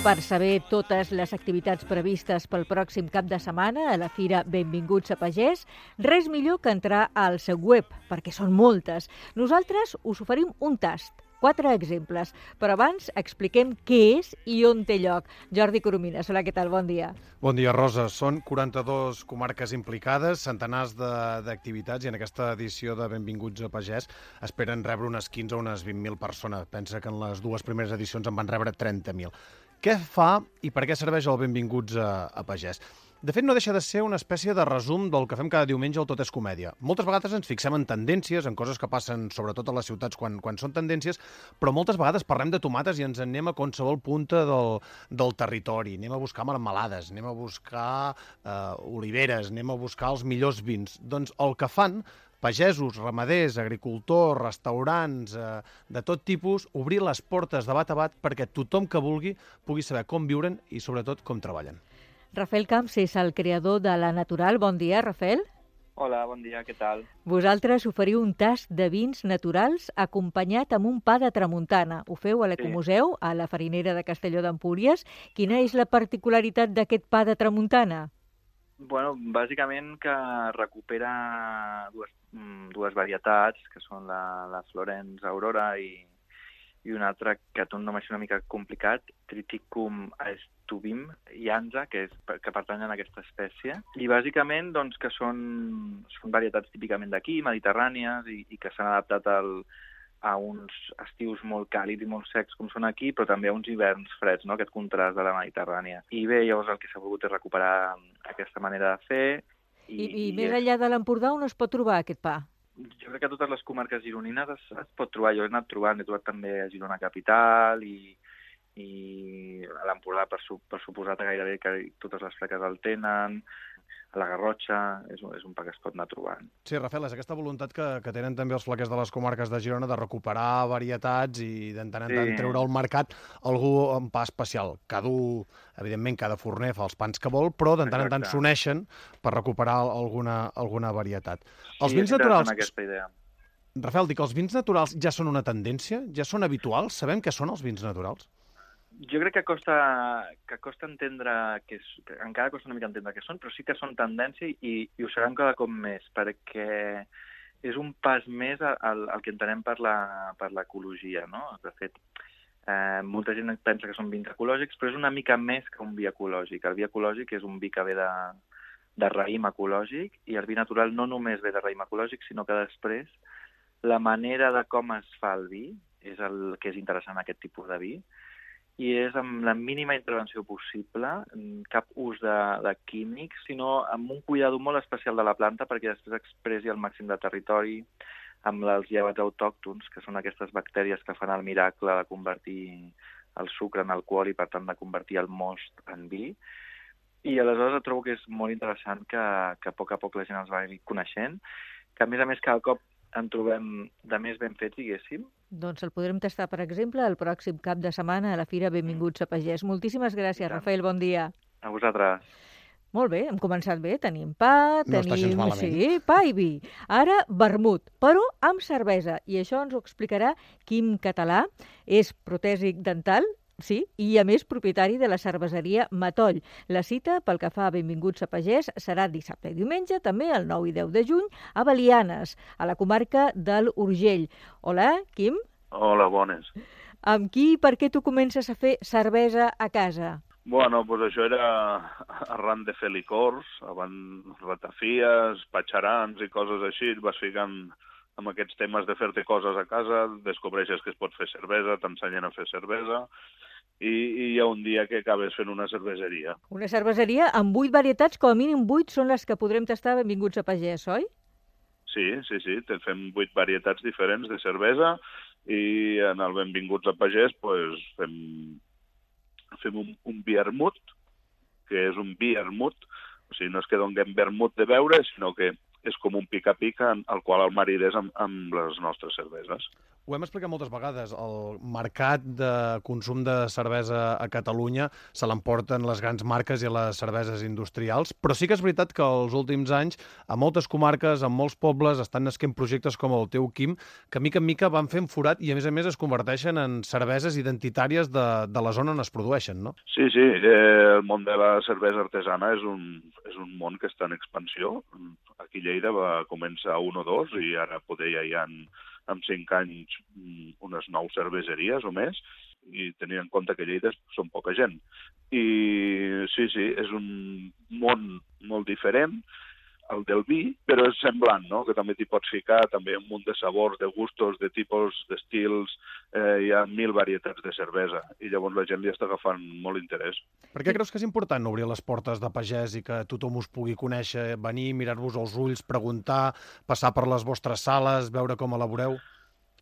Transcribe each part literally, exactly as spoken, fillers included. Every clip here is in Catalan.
Per saber totes les activitats previstes pel pròxim cap de setmana a la Fira Benvinguts a Pagès, res millor que entrar al seu web, perquè són moltes. Nosaltres us oferim un tast, quatre exemples, però abans expliquem què és i on té lloc. Jordi Coromines, hola, què tal? Bon dia. Bon dia, Rosa. Són quaranta-dues comarques implicades, centenars d'activitats, i en aquesta edició de Benvinguts a Pagès esperen rebre unes quinze o unes vint mil persones. Pensa que en les dues primeres edicions en van rebre trenta mil. Què fa i per què serveix el Benvinguts a, a Pagès? De fet, no deixa de ser una espècie de resum del que fem cada diumenge al Tot és Comèdia. Moltes vegades ens fixem en tendències, en coses que passen sobretot a les ciutats quan, quan són tendències, però moltes vegades parlem de tomates i ens en anem a qualsevol punta del, del territori. Anem a buscar marmelades, anem a buscar eh, oliveres, anem a buscar els millors vins. Doncs el que fan pagesos, ramaders, agricultors, restaurants, eh, de tot tipus, obrir les portes de bat a bat perquè tothom que vulgui pugui saber com viuren i sobretot com treballen. Rafael Camps és el creador de La Natural. Bon dia, Rafael. Hola, bon dia, què tal? Vosaltres oferiu un tast de vins naturals acompanyat amb un pa de tramuntana. Ho feu a l'Ecomuseu, a la Farinera de Castelló d'Empúries. Quina és la particularitat d'aquest pa de tramuntana? Bueno, bàsicament que recupera dues, dues varietats, que són la, la Florence Aurora i, i una altra que té un nom així una mica complicat, Triticum aestuvim llanza, que, és, que pertanyen a aquesta espècie. I bàsicament doncs, que són, són varietats típicament d'aquí, mediterrànies, i, i que s'han adaptat al, a uns estius molt càlids i molt secs com són aquí, però també a uns hiverns freds, no? Aquest contrast de la Mediterrània. I bé, llavors el que s'ha volgut és recuperar aquesta manera de fer. I, i, i més enllà de l'Empordà, on es pot trobar aquest pa? Jo crec que a totes les comarques gironines es, es pot trobar. Jo he anat trobant, he trobat també a Girona Capital i, i a l'Empordà, per, su, per suposat, gairebé que totes les fleques el tenen. A la Garrotxa, és un, és un pa que es pot anar trobant. Sí, Rafael, és aquesta voluntat que, que tenen també els flequers de les comarques de Girona de recuperar varietats i d'entant en tant sí. treure al mercat algú en pa especial. Cada, evidentment, cada forner fa els pans que vol, però d'entant en tant s'uneixen per recuperar alguna, alguna varietat. Sí, els vins naturals... aquesta idea. Rafael, dic, els vins naturals ja són una tendència? Ja són habituals? Sabem què són els vins naturals? Jo crec que costa, que costa entendre, que, és, que encara costa una mica entendre què són, però sí que són tendència i, i ho seran cada cop més, perquè és un pas més al, al que entenem per l'ecologia, no? De fet, eh, molta gent pensa que són vins ecològics, però és una mica més que un vi ecològic. El vi ecològic és un vi que ve de, de raïm ecològic i el vi natural no només ve de raïm ecològic, sinó que després la manera de com es fa el vi és el que és interessant en aquest tipus de vi, i és amb la mínima intervenció possible, cap ús de, de químics, sinó amb un cuidado molt especial de la planta perquè després expressi el màxim de territori amb els llevats autòctons, que són aquestes bactèries que fan el miracle de convertir el sucre en alcohol i, per tant, de convertir el most en vi. I aleshores trobo que és molt interessant que, que a poc a poc la gent els vagi coneixent, que a més a més cada cop en trobem de més ben fets, diguéssim. Doncs el podrem tastar, per exemple, el pròxim cap de setmana a la Fira Benvinguts a Pagès. Moltíssimes gràcies, Rafael, bon dia. A vosaltres. Molt bé, hem començat bé, tenim pa, no tenim sí, pa i vi. Ara, vermut, però amb cervesa. I això ens ho explicarà Quim Català, és protèsic dental, sí, i a més propietari de la cerveseria Matoll. La cita, pel que fa a Benvinguts a Pagès, serà dissabte i diumenge, també el nou i deu de juny, a Belianes, a la comarca del Urgell. Hola, Quim. Hola, bones. Amb qui i per què tu comences a fer cervesa a casa? Bueno, doncs això era arran de fer licors, abans ratafies, patxarans i coses així, et vas ficant amb aquests temes de fer-te coses a casa, descobreixes que es pot fer cervesa, t'ensenyen a fer cervesa, i, i hi ha un dia que acabes fent una cerveseria. Una cerveseria amb vuit varietats, com a mínim vuit són les que podrem tastar Benvinguts a Pagès, oi? Sí, sí, sí, te fem vuit varietats diferents de cervesa i en el Benvinguts a Pagès pues, fem, fem un, un vermut, que és un vermut, o sigui, no és que donem vermut de beure, sinó que és com un pica-pica al qual el marides amb, amb les nostres cerveses. Ho hem explicat moltes vegades, el mercat de consum de cervesa a Catalunya se l'emporten les grans marques i les cerveses industrials, però sí que és veritat que els últims anys a moltes comarques, en molts pobles, estan nasquent projectes com el teu, Quim, que mica en mica van fent forat i a més a més es converteixen en cerveses identitàries de, de la zona on es produeixen, no? Sí, sí, eh, el món de la cervesa artesana és un, és un món que està en expansió. Aquí a Lleida va començar un o dos i ara poder ja hi ha en cinc anys unes nou cerveseries o més, i tenint en compte que Lleida són poca gent. I sí, sí, és un món molt diferent, el del vi, però és semblant, no? Que també t'hi pots ficar, també un munt de sabors, de gustos, de tipus, d'estils, eh, hi ha mil varietats de cervesa, i llavors la gent li està agafant molt interès. Per què creus que és important obrir les portes de pagès i que tothom us pugui conèixer, venir, mirar-vos als ulls, preguntar, passar per les vostres sales, veure com elaboreu?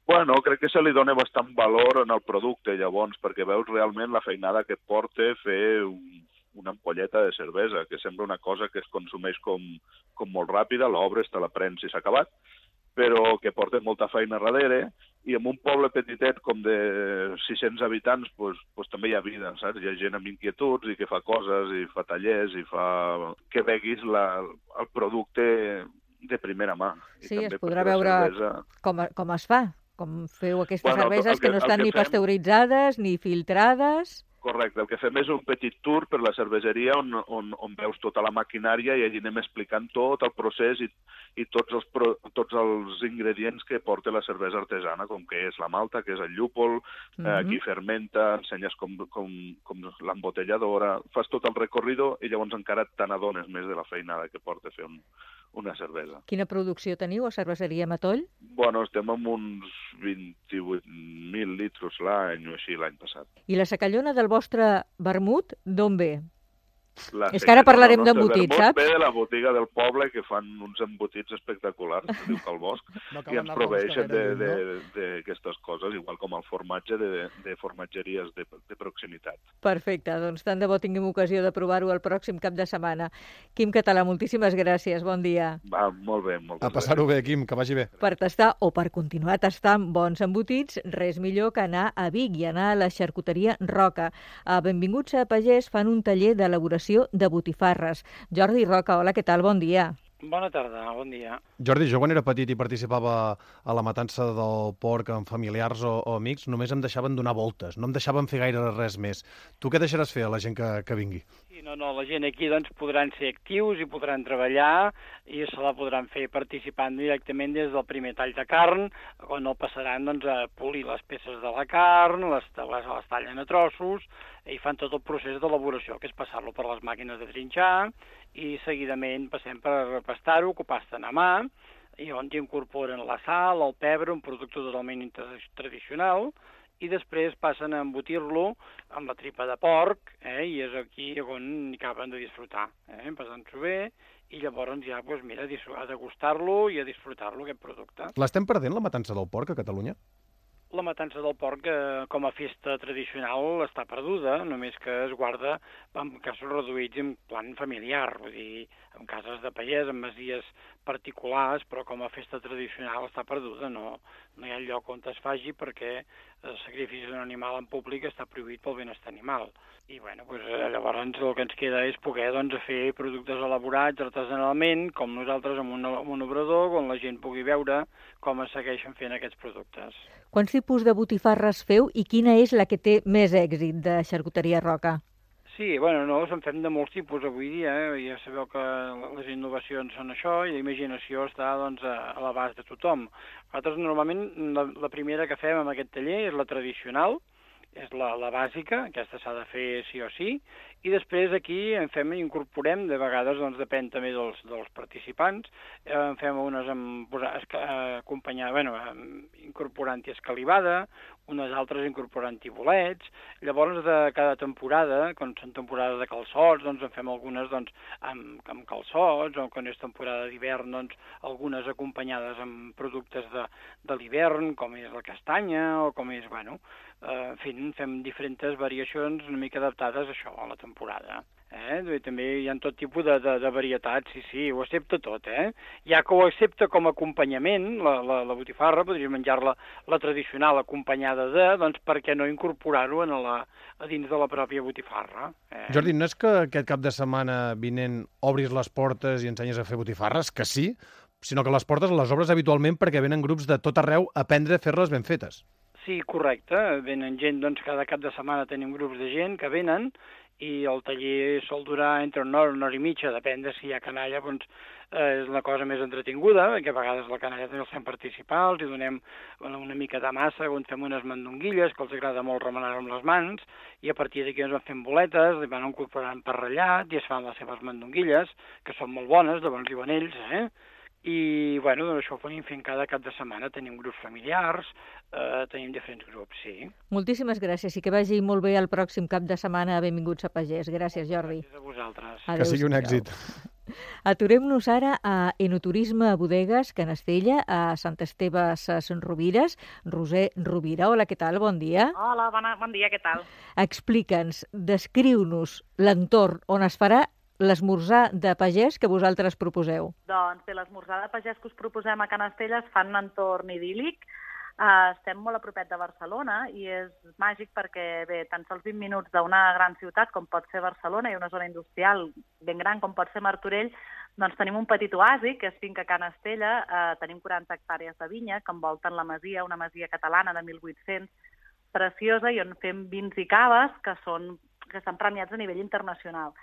Bueno, crec que se li dona bastant valor en el producte, llavors, perquè veus realment la feinada que et porta fer un una ampolleta de cervesa, que sembla una cosa que es consumeix com, com molt ràpida, l'obres, te la prens i s'ha acabat, però que porta molta feina darrere, i en un poble petitet com de sis-cents habitants, pues, pues també hi ha vida, saps? Hi ha gent amb inquietuds i que fa coses, i fa tallers, i fa... que veguis la, el producte de primera mà. I sí, també es podrà veure cervesa... com, com es fa, com feu aquestes bueno, cerveses que, que no estan que ni fem... pasteuritzades ni filtrades... Correcte, el que fem és un petit tour per la cerveseria on, on, on veus tota la maquinària i allí anem explicant tot el procés i, i tots, els pro, tots els ingredients que porta la cervesa artesana, com que és la malta, que és el llúpol, mm-hmm. eh, qui fermenta, ensenyes com, com, com l'embotelladora, fas tot el recorrido i llavors encara te n'adones més de la feinada que porta fer un, una cervesa. Quina producció teniu a Cerveseria Matoll? Bueno, estem amb uns vint-i-vuit mil litros l'any o així l'any passat. I la secallona del vostre vermut, d'on ve? La és que ara parlarem no, d'embotits, saps? Ve de la botiga del poble, que fan uns embotits espectaculars, que diu Cal Bosc, no i ens proveeixen d'aquestes coses, igual com el formatge de, de formatgeries de, de proximitat. Perfecte, doncs tant de bo tinguem ocasió de provar-ho el pròxim cap de setmana. Quim Català, moltíssimes gràcies, bon dia. Va, molt bé, moltes A passar-ho bé, Quim, que vagi bé. Per tastar o per continuar tastant bons embotits, res millor que anar a Vic i anar a la xarcuteria Roca. A Benvinguts a Pagès fan un taller d'elaboració de botifarres. Jordi Roca, hola, què tal? Bon dia. Bona tarda, bon dia. Jordi, jo quan era petit i participava a la matança del porc amb familiars o, o amics, només em deixaven donar voltes, no em deixaven fer gaire res més. Tu què deixaràs fer a la gent que, que vingui? Sí, no, no, la gent aquí doncs podran ser actius i podran treballar i se la podran fer participant directament des del primer tall de carn, on el passaran doncs, a polir les peces de la carn, les, les, les tallen a trossos i fan tot el procés d'elaboració, que és passar-lo per les màquines de trinxar, i seguidament passem per pastar-ho, que ho pasten a mà, i on hi incorporen la sal, el pebre, un producte totalment tradicional, i després passen a embotir-lo amb la tripa de porc, eh, i és aquí on acaben de disfrutar, eh, passant-s'ho bé, i llavors ja, doncs, mira, a degustar-lo i a disfrutar-lo, aquest producte. L'estem perdent, la matança del porc, a Catalunya? La matança del porc, eh, com a festa tradicional, està perduda, només que es guarda en casos reduïts en plan familiar, vull dir, en cases de pagès, en masies particulars, però com a festa tradicional està perduda, no, no hi ha lloc on es faci perquè el sacrifici d'un animal en públic està prohibit pel benestar animal. I bueno, doncs, llavors el que ens queda és poder doncs, fer productes elaborats artesanalment, com nosaltres amb un, amb un obrador, on la gent pugui veure com es segueixen fent aquests productes. Quants tipus de botifarres feu i quina és la que té més èxit de Xarcuteria Roca? Sí, bueno, no, en fem de molts tipus avui dia, eh? Ja sabeu que les innovacions són això i la imaginació està doncs, a l'abast de tothom. Nosaltres normalment la, la primera que fem en aquest taller és la tradicional, és la, la bàsica, aquesta s'ha de fer sí o sí, i després aquí en fem, incorporem, de vegades doncs, depèn també dels, dels participants, eh, en fem unes amb, acompanyar, bueno, incorporant-hi escalivada, unes altres incorporant-hi bolets, llavors de cada temporada, quan són temporades de calçots, doncs en fem algunes doncs, amb, amb calçots, o quan és temporada d'hivern, doncs algunes acompanyades amb productes de, de l'hivern, com és la castanya, o com és, bueno, eh, en fi, fem diferents variacions una mica adaptades a això, a la temporada. Eh? També hi ha tot tipus de, de, de varietats, sí, sí, ho accepta tot, eh? Ja que ho accepta com a acompanyament, la, la, la botifarra, podries menjar-la la tradicional acompanyada de, doncs per què no incorporar-ho a, la, a dins de la pròpia botifarra. Eh? Jordi, no és que aquest cap de setmana vinent obris les portes i ensenyes a fer botifarres, que sí, sinó que les portes les obres habitualment perquè venen grups de tot arreu a aprendre a fer-les ben fetes. Sí, correcte. Venen gent, doncs cada cap de setmana tenim grups de gent que venen i el taller sol durar entre una hora, una hora i mitja, depèn de si hi ha canalla, doncs eh, és una cosa més entretinguda, perquè a vegades la canalla també els fem participar, els hi donem una mica de massa, on fem unes mandonguilles, que els agrada molt remenar amb les mans, i a partir d'aquí ens van fent boletes, li van incorporant per ratllat, i es fan les seves mandonguilles, que són molt bones, de bons i bonells, eh? I, bueno, doncs això ho anem fent cada cap de setmana. Tenim grups familiars, eh, tenim diferents grups, sí. Moltíssimes gràcies i que vagi molt bé el pròxim cap de setmana. Benvinguts a Pagès. Gràcies, Jordi. Gràcies a vosaltres. Que sigui un èxit. Aturem-nos ara a Enoturisme a Bodegues, Canastella, a Sant Esteve Ses Rovires. Roser Rovira, hola, què tal? Bon dia. Hola, bona, bon dia, què tal? Explica'ns, descriu-nos l'entorn on es farà l'esmorzar de pagès que vosaltres proposeu. Doncs bé, l'esmorzar de pagès que us proposem a Canastella es fa en un entorn idíl·lic. Uh, estem molt a propet de Barcelona i és màgic perquè, bé, tan sols vint minuts d'una gran ciutat com pot ser Barcelona i una zona industrial ben gran com pot ser Martorell, doncs tenim un petit oasi, que és Finca Canastella. Uh, tenim quaranta hectàrees de vinya que envolten la masia, una masia catalana de mil vuit-cents, preciosa, i on fem vins i caves que, són, que estan premiats a nivell internacional.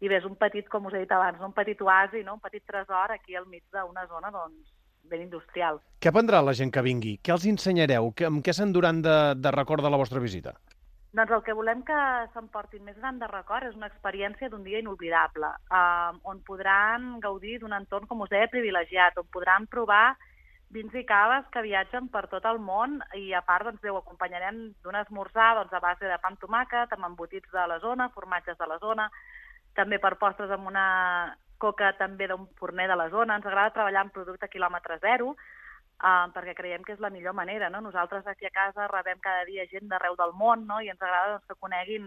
I bé, és un petit, com us he dit abans, un petit oasi, no? Un petit tresor aquí al mig d'una zona doncs, ben industrial. Què aprendrà la gent que vingui? Què els ensenyareu? Amb què s'enduran de, de record de la vostra visita? Doncs el que volem que s'emportin més gran de record és una experiència d'un dia inolvidable, eh, on podran gaudir d'un entorn, com us deia, privilegiat, on podran provar vins i caves que viatgen per tot el món i, a part, doncs, ho acompanyarem d'un esmorzar doncs, a base de pa amb tomàquet, amb embotits de la zona, formatges de la zona, també per postres amb una coca també d'un forner de la zona. Ens agrada treballar amb producte quilòmetre zero, eh, perquè creiem que és la millor manera, no? Nosaltres aquí a casa rebem cada dia gent d'arreu del món, no? I ens agrada doncs, que coneguin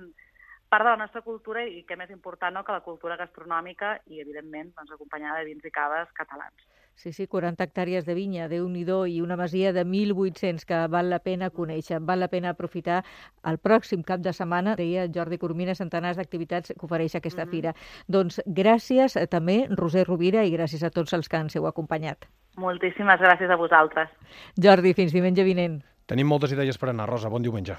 part de la nostra cultura i, que més important, no? Que la cultura gastronòmica i, evidentment, doncs, acompanyada de vins i caves catalans. Sí, sí, quaranta hectàrees de vinya, Déu-n'hi-do, i una masia de mil vuit-cents que val la pena conèixer, val la pena aprofitar el pròxim cap de setmana, deia Jordi Coromina, centenars d'activitats que ofereix aquesta mm-hmm. fira. Doncs gràcies eh, també, Roser Rovira, i gràcies a tots els que ens heu acompanyat. Moltíssimes gràcies a vosaltres. Jordi, fins diumenge vinent. Tenim moltes idees per anar, Rosa. Bon diumenge.